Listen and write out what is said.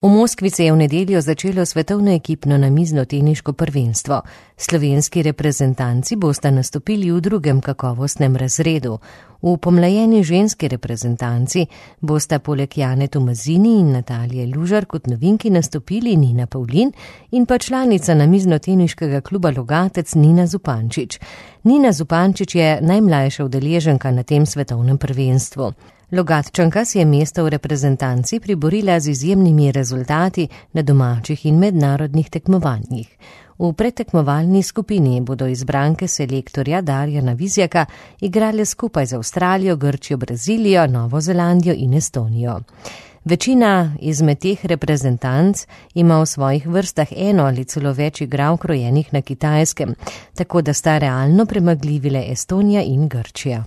V Moskvi se je v nedeljo začelo svetovno ekipno namizno teniško prvenstvo. Slovenski reprezentanci bosta nastopili v drugem kakovostnem razredu. V pomlajeni ženski reprezentanci bosta poleg Jane Tomazini in Natalije Lužar kot novinki nastopili Nina Pavlin in pa članica namizno-teniškega kluba Logatec Nina Zupančič. Nina Zupančič je najmlajša udeleženka na tem svetovnem prvenstvu. Logatčanka si je mesto v reprezentanci priborila z izjemnimi rezultati na domačih in mednarodnih tekmovanjih. V predtekmovalni skupini bodo izbranke selektorja Darjana Vizjaka igrale skupaj z Avstralijo, Grčijo, Brazilijo, Novo Zelandijo in Estonijo. Večina izmed teh reprezentanc ima v svojih vrstah eno ali celo več igralk rojenih na Kitajskem, tako da sta realno premagljivi le Estonija in Grčija.